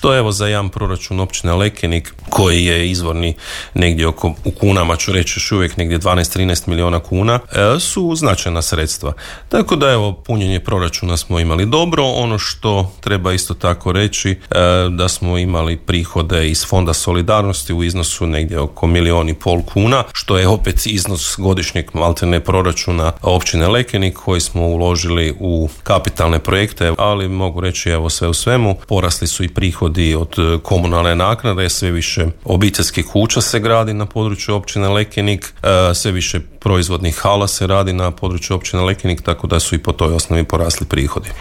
što evo za jedan proračun općine Lekenik koji je izvorni negdje oko, u kunama ću reći još uvijek negdje 12-13 milijuna kuna, su značajna sredstva. Tako da evo, punjenje proračuna smo imali dobro. Ono što treba isto tako reći, da smo imali prihode iz Fonda solidarnosti u iznosu negdje oko 1,5 milijuna kuna, što je opet iznos godišnjeg maltene proračuna općine Lekenik koji smo uložili u kapitalne projekte, ali mogu reći evo sve u svemu, porasli su i prihodi od komunalne naknade, sve više obiteljskih kuća se gradi na području općine Lekenik, sve više proizvodnih hala se radi na području općine Lekenik, tako da su i po toj osnovi porasli prihodi.